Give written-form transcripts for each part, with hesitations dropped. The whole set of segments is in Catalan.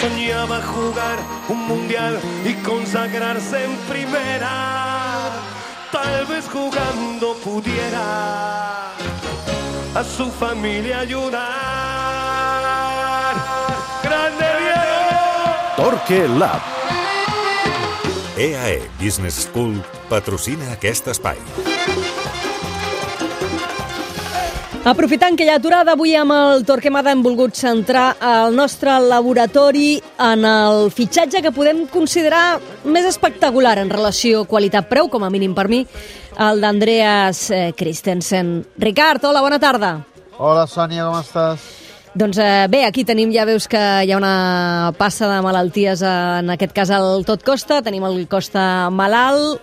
soñaba jugar un mundial y consagrarse en primera. Tal vez jugando pudiera a su familia ayudar. ¡Grande Diego! Torque Lab. EAE Business School patrocina aquest espai. Aprofitant que hi ha aturada, avui amb el Torquemada hem volgut centrar el nostre laboratori en el fitxatge que podem considerar més espectacular en relació qualitat-preu, com a mínim per mi, el d'Andreas Christensen. Ricard, hola, bona tarda. Hola, Sònia, com estàs? Doncs bé, aquí tenim, ja veus que hi ha una passa de malalties, en aquest cas el Tot Costa, tenim el Costa malalt,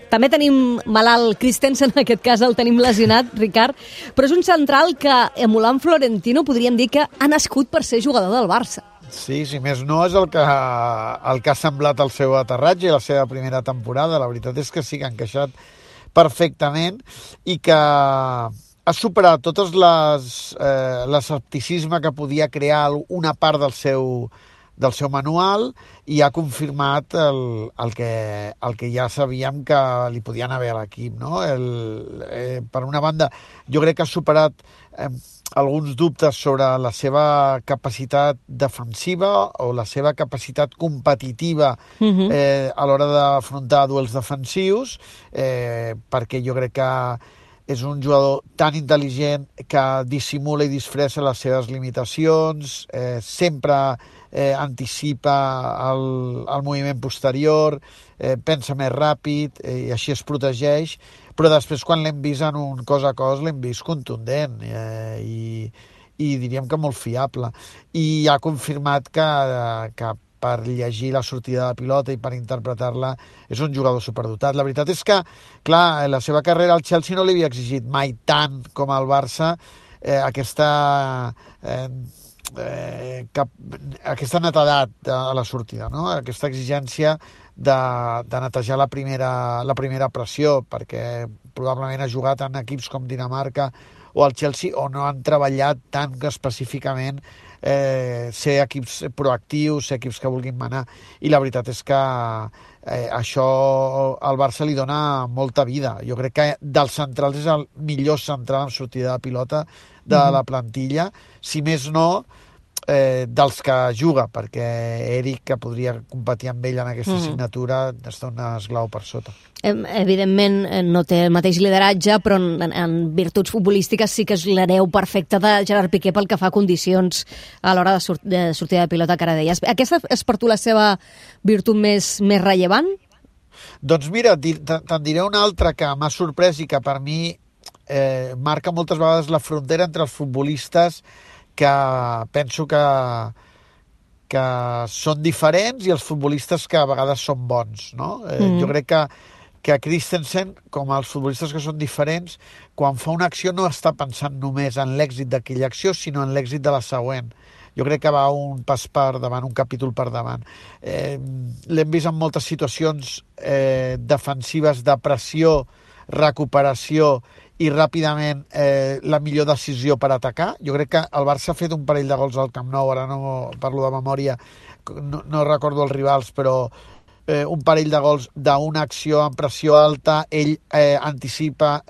també tenim malalt Christensen, en aquest cas el tenim lesionat, Ricard, però és un central que, emulant Florentino, podríem dir que ha nascut per ser jugador del Barça. Sí, si més no, és el que ha semblat el seu aterratge i la seva primera temporada. La veritat és que sí que ha encaixat perfectament i que ha superat totes l'escepticisme que podia crear una part del seu manual i ha confirmat el que ja sabíem que li podien haver a l'equip, no? Per una banda, jo crec que ha superat alguns dubtes sobre la seva capacitat defensiva o la seva capacitat competitiva a l'hora d'afrontar duels defensius, perquè jo crec que és un jugador tan intel·ligent que dissimula i disfressa les seves limitacions, sempre anticipa el moviment posterior, pensa més ràpid i així es protegeix, però després quan l'hem vist en un cos a cos l'hem vist contundent i diríem que molt fiable. I ha confirmat que per llegir la sortida de pilota i per interpretar-la és un jugador superdotat. La veritat és que, clar, la seva carrera al Chelsea no li havia exigit mai tant com al Barça aquesta netedat a la sortida, no? Aquesta exigència de netejar la primera pressió, perquè probablement ha jugat en equips com Dinamarca o el Chelsea on no han treballat tan específicament ser equips proactius, ser equips que vulguin manar, i la veritat és que això al Barça li dona molta vida. Jo crec que dels centrals és el millor central en sortida de pilota de la plantilla, si més no dels que juga, perquè Eric, que podria competir amb ell en aquesta assignatura, està un esglau per sota. Evidentment no té el mateix lideratge, però en virtuts futbolístiques sí que és l'hereu perfecte de Gerard Piqué pel que fa a condicions a l'hora de sortida de pilota, que ara deies. Aquesta és per tu la seva virtut més rellevant? Doncs mira, te'n diré una altra que m'ha sorprès i que per mi marca moltes vegades la frontera entre els futbolistes que penso que són diferents i els futbolistes que a vegades són bons, no? Jo crec que Christensen, com els futbolistes que són diferents, quan fa una acció no està pensant només en l'èxit d'aquella acció, sinó en l'èxit de la següent. Jo crec que va un pas per davant, un capítol per davant. L'hem vist en moltes situacions defensives de pressió, recuperació i ràpidament la millor decisió per atacar. Jo crec que el Barça ha fet un parell de gols al Camp Nou, ara no parlo de memòria, no recordo els rivals, però un parell de gols d'una acció en pressió alta, ell anticipa,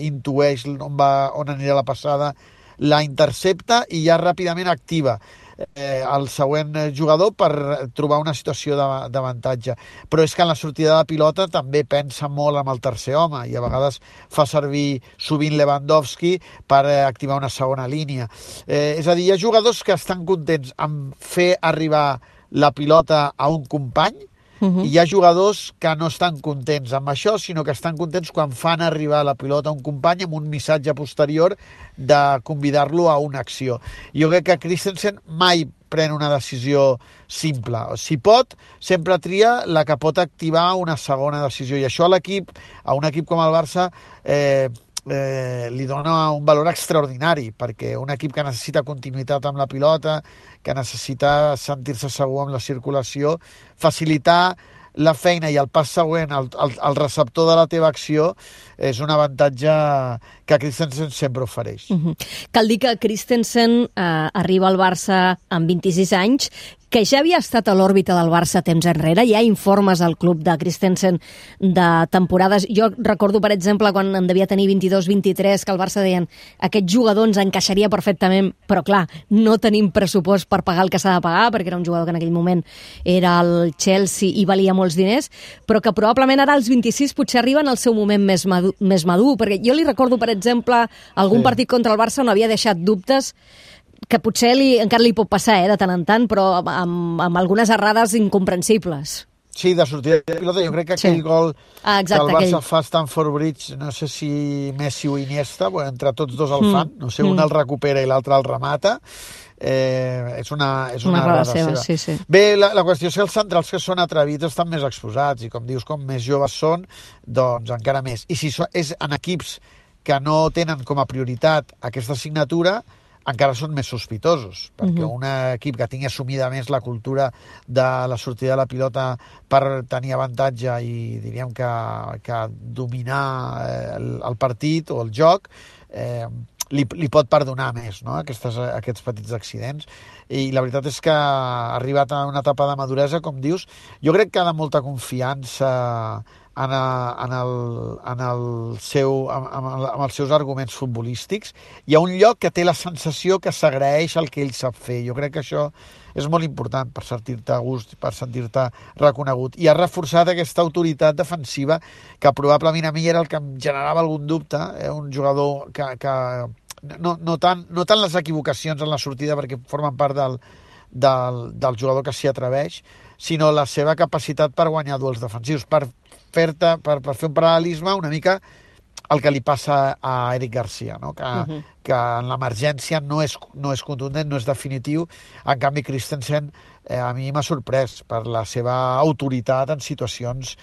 intueix on anirà la passada, la intercepta i ja ràpidament activa el següent jugador per trobar una situació d'avantatge. Però és que en la sortida de pilota també pensa molt amb el tercer home i a vegades fa servir sovint Lewandowski per activar una segona línia. És a dir, hi ha jugadors que estan contents amb fer arribar la pilota a un company i hi ha jugadors que no estan contents amb això, sinó que estan contents quan fan arribar la pilota a un company amb un missatge posterior de convidar-lo a una acció. Jo crec que Christensen mai pren una decisió simple. Si pot, sempre tria la que pot activar una segona decisió. I això a l'equip, a un equip com el Barça, li dona un valor extraordinari, perquè un equip que necessita continuïtat amb la pilota, que necessita sentir-se segur amb la circulació, facilitar la feina i el pas següent, el receptor de la teva acció, és un avantatge que Christensen sempre ofereix. Cal dir que Christensen arriba al Barça amb 26 anys, que ja havia estat a l'òrbita del Barça temps enrere. Hi ha informes al club de Christensen de temporades. Jo recordo, per exemple, quan en devia tenir 22-23, que el Barça deien aquest jugador ens encaixaria perfectament, però clar, no tenim pressupost per pagar el que s'ha de pagar, perquè era un jugador que en aquell moment era el Chelsea i valia molts diners, però que probablement ara als 26 potser arriben al seu moment més madur, perquè jo li recordo, per exemple, algun partit contra el Barça on havia deixat dubtes que potser encara li pot passar de tant en tant, però amb algunes errades incomprensibles. Sí, de sortida de pilota. Jo crec que aquell gol exacte, que el Barça fa a Stamford Bridge, no sé si Messi o Iniesta, entre tots dos el fan, no sé, un el recupera i l'altre el remata. És una errada seva. Sí. Bé, la qüestió és que els centrals que són atrevits estan més exposats, i com dius, com més joves són, doncs encara més. I si és en equips que no tenen com a prioritat aquesta assignatura, encara són més sospitosos, perquè un equip que tingui assumida més la cultura de la sortida de la pilota per tenir avantatge i diríem que dominar el partit o el joc, li pot perdonar més, no? Aquests petits accidents. I la veritat és que ha arribat a una etapa de maduresa, com dius. Jo crec que ha de molta confiança amb els seus arguments futbolístics. Hi ha un lloc que té la sensació que s'agraeix el que ell sap fer. Jo crec que això és molt important per sentir-te a gust, per sentir-te reconegut. I ha reforçat aquesta autoritat defensiva que probablement a mi era el que em generava algun dubte. Un jugador que no tant les equivocacions en la sortida, perquè formen part del jugador que s'hi atreveix, sinó la seva capacitat per guanyar duels defensius, per fer un paral·lelisme una mica el que li passa a Eric Garcia, no? Que en l'emergència no és contundent, no és definitiu. En canvi, Christensen a mi m'ha sorprès per la seva autoritat en situacions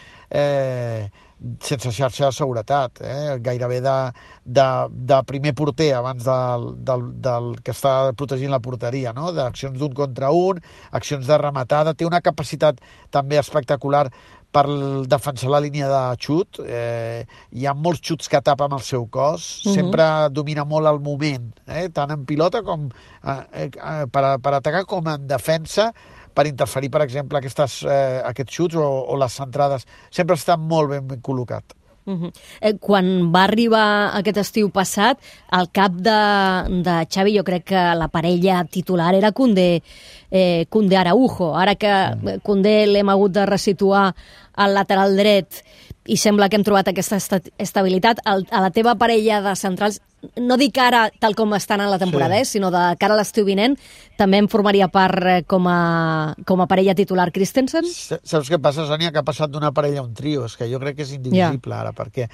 sense xarxa de seguretat, gairebé de primer porter abans del que està protegint la porteria, no? D'accions d'un contra un, accions de rematada. Té una capacitat també espectacular per defensar la línia de xut. Hi ha molts xuts que tapa amb el seu cos, sempre domina molt el moment, tant en pilota com per atacar com en defensa, per interferir, per exemple, aquests xuts o les centrades. Sempre està molt ben col·locat. Quan va arribar aquest estiu passat, al cap de Xavi, jo crec que la parella titular era Koundé-Araujo. Ara que Koundé l'hem hagut de resituar al lateral dret i sembla que hem trobat aquesta estabilitat, a la teva parella de centrals, no dic ara tal com estan en la temporada, sinó de cara a l'estiu vinent, també em formaria part com a parella titular Christensen? Saps què passa, Sònia? Que ha passat d'una parella a un trio. És que jo crec que és indivisible ara, perquè,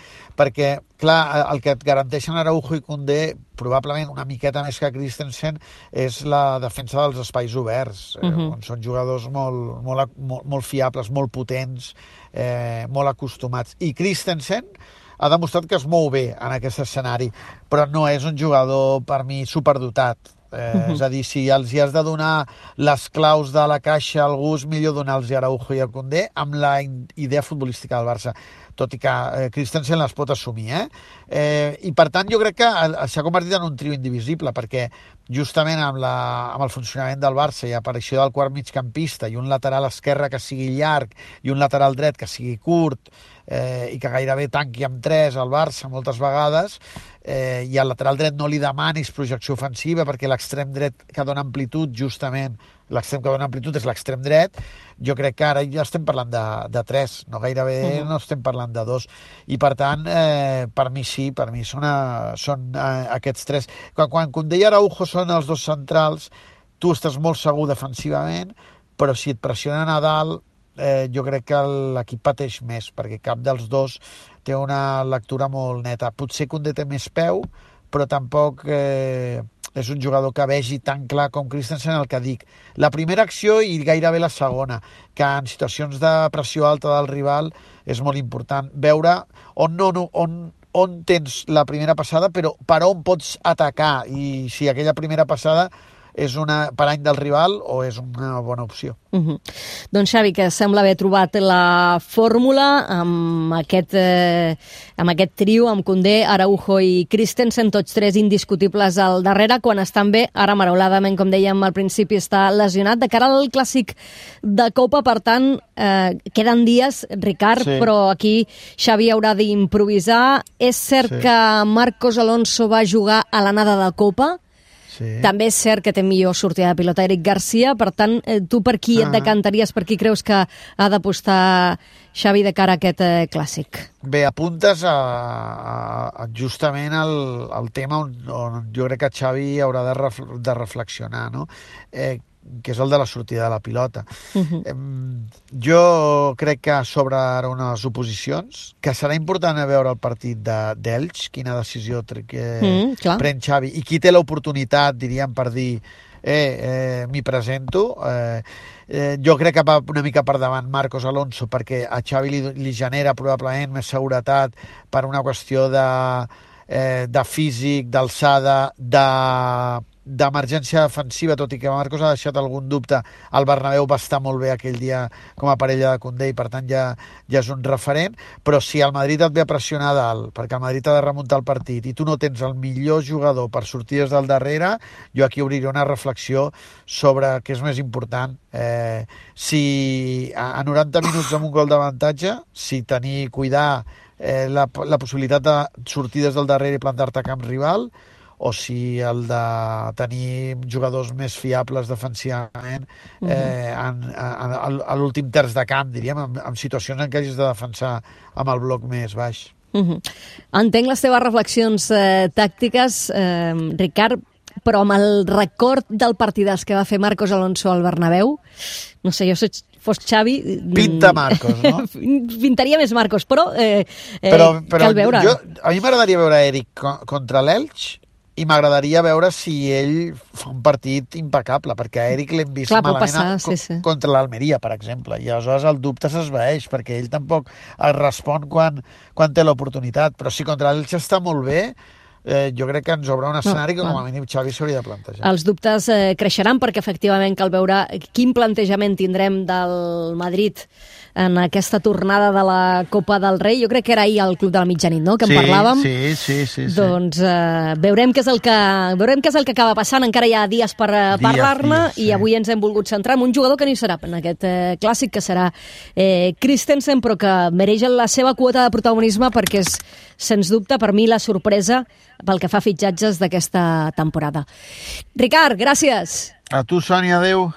clar, el que et garanteixen Araujo i Koundé, probablement una miqueta més que Christensen, és la defensa dels espais oberts, on són jugadors molt fiables, molt potents, molt acostumats. I Christensen ha demostrat que es mou bé en aquest escenari, però no és un jugador, per mi, superdotat. És a dir, si els hi has de donar les claus de la caixa al gust, millor donar-los a Araujo i a Koundé amb la idea futbolística del Barça, tot i que Christensen les pot assumir. I per tant jo crec que s'ha convertit en un trio indivisible, perquè justament amb el funcionament del Barça i aparició del quart migcampista i un lateral esquerre que sigui llarg i un lateral dret que sigui curt, i que gairebé tanqui amb 3 al Barça moltes vegades, i al lateral dret no li demanis projecció ofensiva, perquè l'extrem dret que dona amplitud, justament l'extrem que dona amplitud és l'extrem dret. Jo crec que ara ja estem parlant de 3, no gairebé no estem parlant de 2, i per tant per mi són aquests 3. Quan Koundé i Araujo són els dos centrals, tu estàs molt segur defensivament, però si et pressionen a dalt, jo crec que l'equip pateix més, perquè cap dels dos té una lectura molt neta. Potser Koundé té més peu, però tampoc és un jugador que vegi tan clar com Christensen. El que dic, la primera acció i gairebé la segona, que en situacions de pressió alta del rival és molt important veure on tens la primera passada, però per on pots atacar, i si aquella primera passada és una parany del rival o és una bona opció. Doncs Xavi, que sembla haver trobat la fórmula amb aquest trio, amb Koundé, Araujo i Christensen, tots tres indiscutibles al darrere, quan estan bé. Ara, marauladament, com dèiem al principi, està lesionat. De cara al clàssic de Copa, per tant, queden dies, Ricard, però aquí Xavi haurà d'improvisar. És cert que Marcos Alonso va jugar a l'anada de Copa. També és cert que té millor sortida de pilota Eric Garcia, per tant, tu per qui et decantaries, per qui creus que ha d'apostar Xavi de cara a aquest clàssic? Bé, apuntes justament al tema on jo crec que Xavi haurà de reflexionar, no? Que és el de la sortida de la pilota. Jo crec que s'obren unes oposicions, que serà important a veure el partit d'Elx, quina decisió pren Xavi, i qui té l'oportunitat, diríem, per dir m'hi presento. Jo crec que va una mica per davant Marcos Alonso, perquè a Xavi li genera probablement més seguretat per una qüestió de físic, d'alçada, d'emergència defensiva, tot i que Marcos ha deixat algun dubte. El Bernabéu va estar molt bé aquell dia com a parella de Koundé i per tant ja és un referent, però si el Madrid et ve a pressionar dalt, perquè el Madrid ha de remuntar el partit i tu no tens el millor jugador per sortir des del darrere, jo aquí obriria una reflexió sobre què és més important, si a 90 minuts amb un gol d'avantatge, si cuidar la possibilitat de sortir des del darrere i plantar-te a camp rival, o si el de tenir jugadors més fiables defensivament a l'últim terç de camp, diríem, en situacions en què hagis de defensar amb el bloc més baix. Entenc les teves reflexions tàctiques, Ricard, però amb el record del partidàs que va fer Marcos Alonso al Bernabéu, no sé, jo fos Xavi... Pinta Marcos, no? Pintaria més Marcos, però cal veure. A mi m'agradaria veure Eric contra l'Elx, i m'agradaria veure si ell fa un partit impecable, perquè a Eric l'hem vist malament contra l'Almeria, per exemple, i aleshores el dubte s'esvaeix, perquè ell tampoc es respon quan té l'oportunitat, però si contra l'Elx està molt bé, jo crec que ens obre un escenari que com a mínim Xavi s'hauria de plantejar. Els dubtes creixeran perquè efectivament cal veure quin plantejament tindrem del Madrid en aquesta tornada de la Copa del Rei. Jo crec que era ahir al Club de la Mitjanit, no?, que en parlàvem. Sí. Doncs veurem què és el que acaba passant. Encara hi ha dies per parlar-ne i avui ens hem volgut centrar en un jugador que no hi serà en aquest clàssic, que serà Christensen, però que mereix la seva quota de protagonisme perquè és, sens dubte, per mi la sorpresa pel que fa a fitxatges d'aquesta temporada. Ricard, gràcies. A tu, Sònia, adéu.